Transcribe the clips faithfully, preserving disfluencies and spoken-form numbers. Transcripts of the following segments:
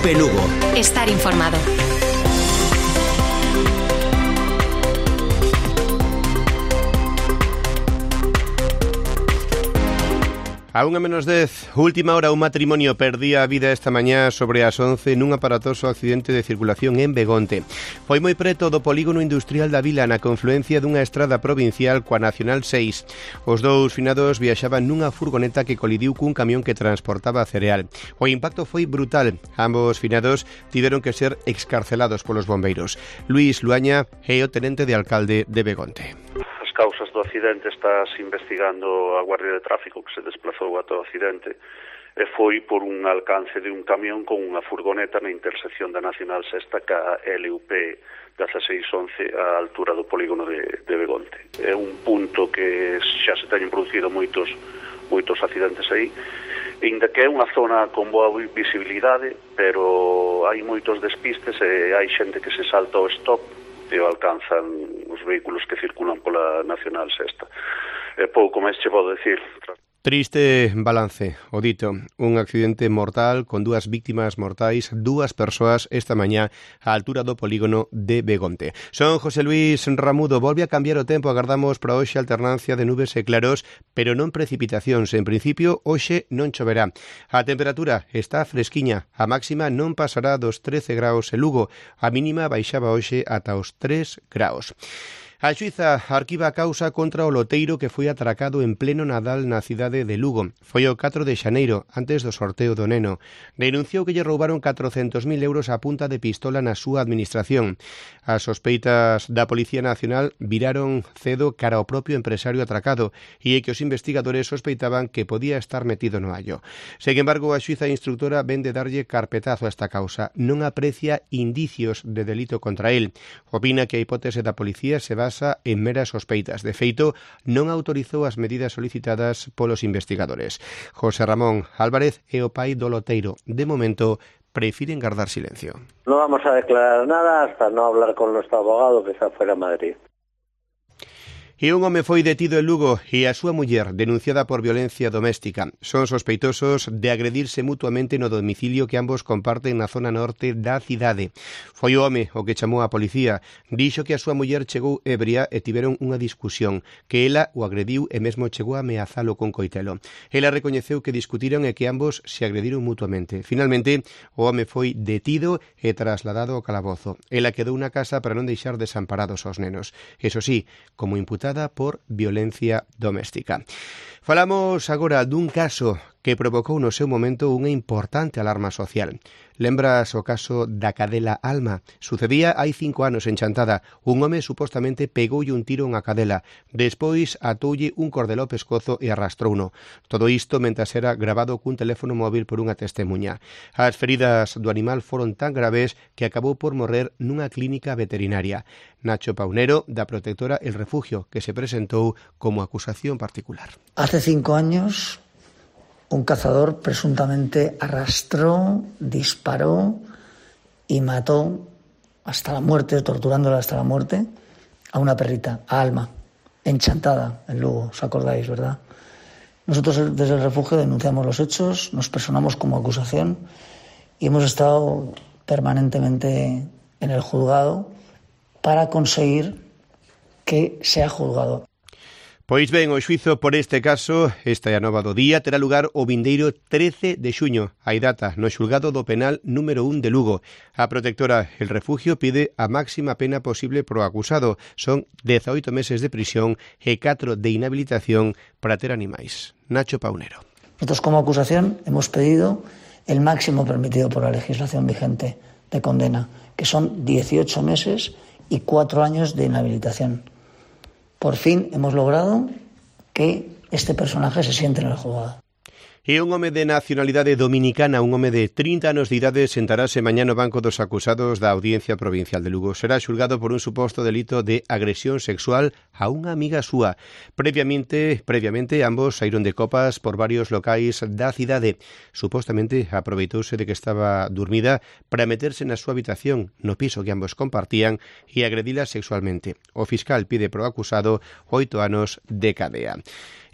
P Lugo. Estar informado. A unha menos dez, última hora, un matrimonio perdía a vida esta mañá sobre as once nun aparatoso accidente de circulación en Begonte. Foi moi preto do polígono industrial da vila na confluencia dunha estrada provincial coa Nacional seis. Os dous finados viaxaban nunha furgoneta que colidiu cun camión que transportaba cereal. O impacto foi brutal. Ambos finados tiveron que ser excarcelados polos bombeiros. Luís Luaña é o tenente de alcalde de Begonte. Causas do accidente estás investigando a Guardia de Tráfico que se desplazou ata o accidente e foi por un alcance de un camión con unha furgoneta na intersección da Nacional Sexta ca L U P dieciséis once á altura do polígono de, de Begonte. É un punto que xa se teñen producido moitos moitos accidentes aí, inda que é unha zona con boa visibilidade, pero hai moitos despistes e hai xente que se salta ao stop e alcanzan os vehículos que circulan pola Nacional Sexta. E pouco máis che podo decir. Triste balance, o dito, un accidente mortal con dúas víctimas mortais, dúas persoas esta mañá á altura do polígono de Begonte. Son José Luís Ramudo, volve a cambiar o tempo, agardamos para hoxe alternancia de nubes e claros, pero non precipitacións. En principio, hoxe non choverá. A temperatura está fresquiña, a máxima non pasará dos trece graus en Lugo, a mínima baixaba hoxe ata os tres graus. A xuíza arquiva a causa contra o loteiro que foi atracado en pleno Nadal na cidade de Lugo. Foi o catro de xaneiro, antes do sorteo do neno. Denunciou que lle roubaron catrocentos mil euros a punta de pistola na súa administración. As sospeitas da Policía Nacional viraron cedo cara ao propio empresario atracado e é que os investigadores sospeitaban que podía estar metido no hallo. Sen embargo, a xuíza instructora vende darlle carpetazo a esta causa. Non aprecia indicios de delito contra el. Opina que a hipótese da policía se basa en meras sospeitas. De feito, non autorizou as medidas solicitadas polos investigadores. José Ramón Álvarez é o pai do loteiro. De momento, prefiren guardar silencio. No vamos a declarar nada hasta no hablar con nuestro abogado que está fuera de Madrid. E un home foi detido en Lugo e a súa muller denunciada por violencia doméstica. Son sospeitosos de agredirse mutuamente no domicilio que ambos comparten na zona norte da cidade. Foi o home o que chamou a policía. Dixo que a súa muller chegou ebria e tiveron unha discusión, que ela o agrediu e mesmo chegou a ameazalo con coitelo. Ela recoñeceu que discutiron e que ambos se agrediron mutuamente. Finalmente, o home foi detido e trasladado ao calabozo. Ela quedou na casa para non deixar desamparados aos nenos. Eso sí, como imputada por violencia doméstica. Falamos agora dun caso que provocou no seu momento unha importante alarma social. Lembras o caso da cadela Alma? Sucedía hai cinco anos en Chantada. Un home supostamente pegoulle un tiro unha cadela. Despois atoulle un cordel ao pescozo e arrastrouno. Todo isto mentras era grabado cun teléfono móvil por unha testemuña. As feridas do animal foron tan graves que acabou por morrer nunha clínica veterinaria. Nacho Paunero, da protectora El Refugio, que se presentou como acusación particular. Hace cinco años, un cazador presuntamente arrastró, disparó y mató hasta la muerte, torturándola hasta la muerte, a una perrita, a Alma, en Chantada, en Lugo, ¿os acordáis, verdad? Nosotros desde El Refugio denunciamos los hechos, nos personamos como acusación y hemos estado permanentemente en el juzgado para conseguir que sea juzgado. Pois ben, o xuizo por este caso, esta é a nova do día, terá lugar o vindeiro trece de xuño, hai data, no xulgado do penal número un de Lugo. A protectora El Refugio pide a máxima pena posible pro acusado. Son dezaoito meses de prisión e catro de inhabilitación para ter animais. Nacho Paunero. Nosotros como acusación hemos pedido el máximo permitido por la legislación vigente de condena, que son dieciocho meses y cuatro años de inhabilitación. Por fin hemos logrado que este personaje se siente en el juzgado. E un home de nacionalidade dominicana, un home de trinta anos de idade, sentarase mañá no banco dos acusados da Audiencia Provincial de Lugo. Será xulgado por un suposto delito de agresión sexual a unha amiga súa. Previamente, previamente ambos saíron de copas por varios locais da cidade. Supostamente aproveitouse de que estaba dormida para meterse na súa habitación, no piso que ambos compartían, e agredila sexualmente. O fiscal pide pro acusado oito anos de cadea.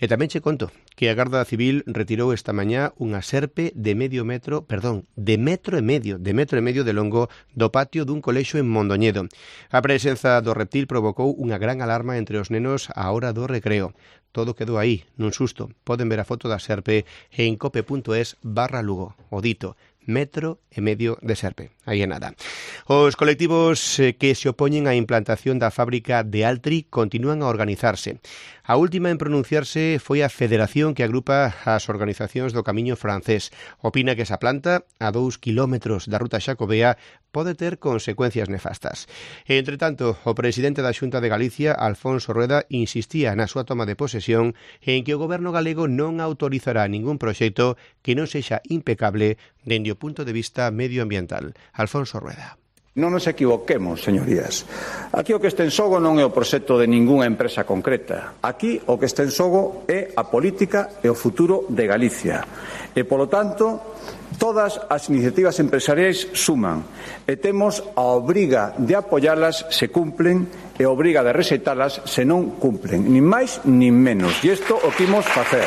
E tamén che conto que a Garda Civil retirou esta mañá unha serpe de medio metro, perdón, de metro e medio, de metro e medio de longo do patio dun colexo en Mondoñedo. A presenza do reptil provocou unha gran alarma entre os nenos á hora do recreo. Todo quedou aí, nun susto. Poden ver a foto da serpe en cope.es barra Lugo. O dito, metro e medio de serpe. Aí é nada. Os colectivos que se opoñen á implantación da fábrica de Altri continúan a organizarse. A última en pronunciarse foi a federación que agrupa as organizacións do Camiño Francés. Opina que esa planta, a dous kilómetros da ruta xacobea, pode ter consecuencias nefastas. Entre tanto, o presidente da Xunta de Galicia, Alfonso Rueda, insistía na súa toma de posesión en que o goberno galego non autorizará ningún proxecto que non sexa impecable dende o punto de vista medioambiental. Alfonso Rueda. Non nos equivoquemos, señorías. Aquí o que está en xogo non é o proxecto de ningunha empresa concreta. Aquí o que está en xogo é a política e o futuro de Galicia. E, polo tanto, todas as iniciativas empresariais suman e temos a obriga de apoialas se cumplen e a obriga de rexeitalas se non cumplen. Nin máis nin menos. E isto o que imos facer.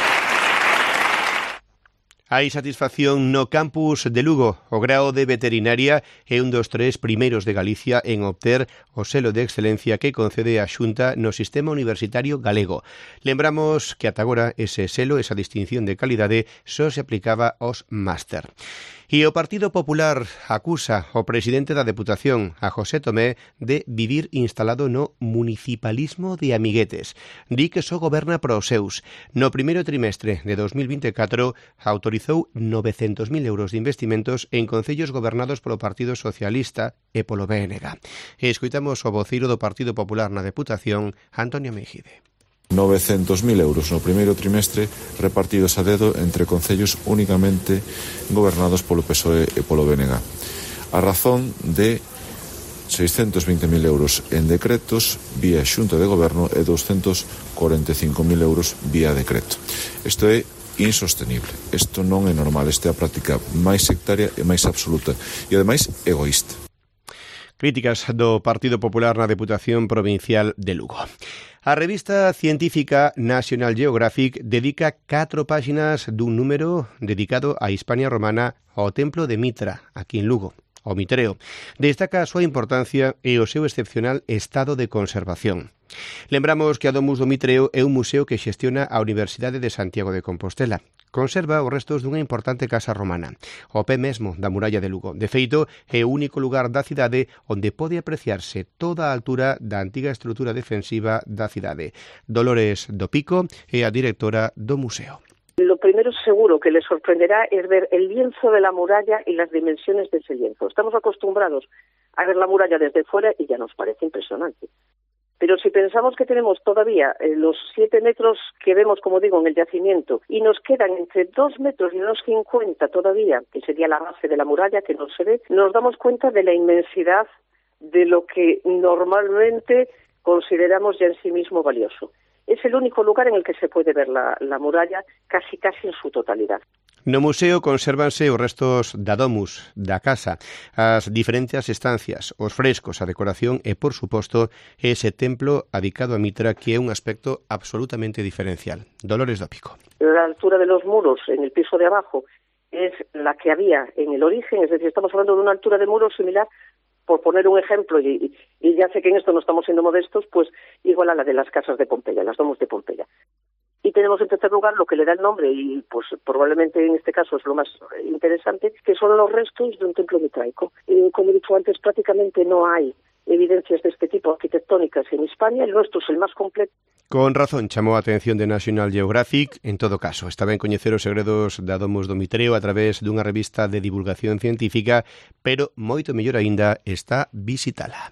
Hai satisfacción no campus de Lugo. O grao de veterinaria é un dos tres primeiros de Galicia en obter o selo de excelencia que concede a Xunta no sistema universitario galego. Lembramos que ata agora ese selo, esa distinción de calidade, só se aplicaba aos máster. E o Partido Popular acusa o presidente da Deputación, a José Tomé, de vivir instalado no municipalismo de amiguetes. Di que só goberna para os seus. No primeiro trimestre de dos mil vinte e catro autorizou novecentos mil euros de investimentos en concellos gobernados polo Partido Socialista e polo B N G. E escoitamos o voceiro do Partido Popular na Deputación, Antonio Mejide. novecentos mil euros no primeiro trimestre repartidos a dedo entre concellos únicamente gobernados polo P S O E e polo B N G. A razón de seiscentos veinte mil euros en decretos vía Xunta de Goberno e doscientos cuarenta e cinco mil euros vía decreto. Isto é insostenible. Isto non é normal. Esta é a práctica máis sectaria e máis absoluta e, ademais, egoísta. Críticas do Partido Popular na Deputación Provincial de Lugo. A revista científica National Geographic dedica catro páxinas dun número dedicado á Hispania romana ao Templo de Mitra, aquí en Lugo, o Mitreo. Destaca a súa importancia e o seu excepcional estado de conservación. Lembramos que a Domus do Mitreo é un museo que xestiona a Universidade de Santiago de Compostela. Conserva os restos dunha importante casa romana, o pé mesmo da muralla de Lugo. De feito, é o único lugar da cidade onde pode apreciarse toda a altura da antiga estrutura defensiva da cidade. Dolores do Pico é a directora do museo. Lo primero seguro que les sorprenderá es ver el lienzo de la muralla y las dimensiones de ese lienzo. Estamos acostumbrados a ver la muralla desde fuera y ya nos parece impresionante. Pero si pensamos que tenemos todavía eh, los siete metros que vemos, como digo, en el yacimiento, y nos quedan entre dos metros y unos cincuenta todavía, que sería la base de la muralla que no se ve, nos damos cuenta de la inmensidad de lo que normalmente consideramos ya en sí mismo valioso. Es el único lugar en el que se puede ver la, la muralla casi casi en su totalidad. No museo consérvanse os restos da domus, da casa, as diferentes estancias, os frescos, a decoración e, por suposto, ese templo adicado a Mitra que é un aspecto absolutamente diferencial. Dolores do Pico. La altura de los muros en el piso de abajo es la que había en el origen, es decir, estamos hablando de una altura de muros similar, por poner un ejemplo, y, y ya sé que en esto no estamos siendo modestos, pues igual a la de las casas de Pompeya, las domus de Pompeya. Y tenemos en tercer lugar lo que le da el nombre, y pues probablemente en este caso es lo más interesante, que son los restos de un templo mitraico. Eh, como he dicho antes, prácticamente no hay evidencias de este tipo arquitectónicas en Hispania, el nuestro es el más completo. Con razón chamou a atención de National Geographic, en todo caso, está ben coñecer os segredos da Domus do Mitreo a través dunha revista de divulgación científica, pero moito mellor aínda está visitala.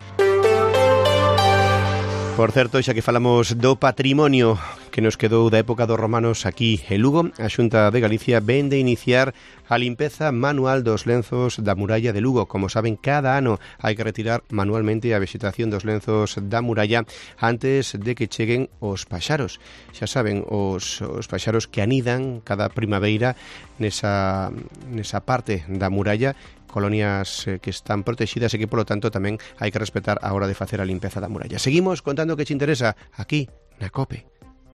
Por certo, xa que falamos do patrimonio que nos quedou da época dos romanos aquí en Lugo, a Xunta de Galicia ven de iniciar a limpeza manual dos lenzos da muralla de Lugo. Como saben, cada ano hai que retirar manualmente a vegetación dos lenzos da muralla antes de que cheguen os paxaros. Xa saben, os, os paxaros que anidan cada primavera nesa, nesa parte da muralla, colonias que están protegidas e que, polo tanto, tamén hai que respetar a hora de facer a limpeza da muralla. Seguimos contando que te interesa aquí na COPE.